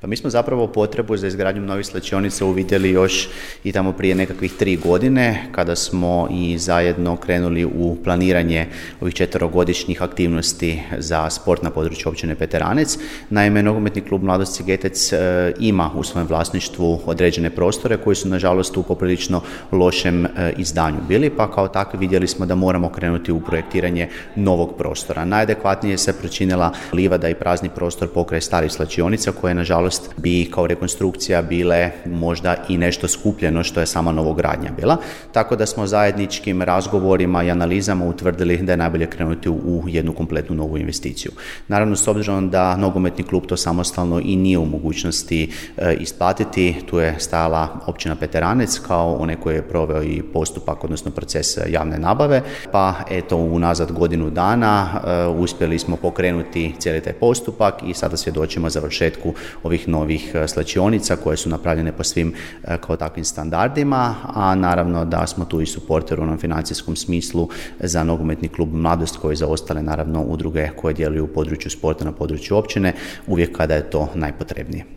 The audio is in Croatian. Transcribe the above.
Pa mi smo zapravo potrebu za izgradnjom novih svlačionica uvidjeli još i tamo prije nekakvih 3 godine kada smo i zajedno krenuli u planiranje ovih 4-godišnjih aktivnosti za sport na području općine Peteranec. Naime, nogometni klub Mladost Sigetec ima u svojem vlasništvu određene prostore koji su nažalost u poprilično lošem izdanju bili, pa kao takvi vidjeli smo da moramo krenuti u projektiranje novog prostora. Najadekvatnije se pričinila livada i prazni prostor pokraj starih svlačionica koje nažalost bi kao rekonstrukcija bile možda i nešto skupljeno što je sama novogradnja bila. Tako da smo zajedničkim razgovorima i analizama utvrdili da je najbolje krenuti u jednu kompletnu novu investiciju. Naravno, s obzirom da nogometni klub to samostalno i nije u mogućnosti isplatiti, tu je stajala općina Peteranec kao onaj koji je proveo i postupak, odnosno proces javne nabave, pa eto unazad godinu dana uspjeli smo pokrenuti cijeli taj postupak i sada svjedočimo završetku ovih novih svlačionica koje su napravljene po svim kao takvim standardima, a naravno da smo tu i suporter u onom financijskom smislu za nogometni klub Mladost koji za ostale naravno udruge koje djeluju u području sporta na području općine uvijek kada je to najpotrebnije.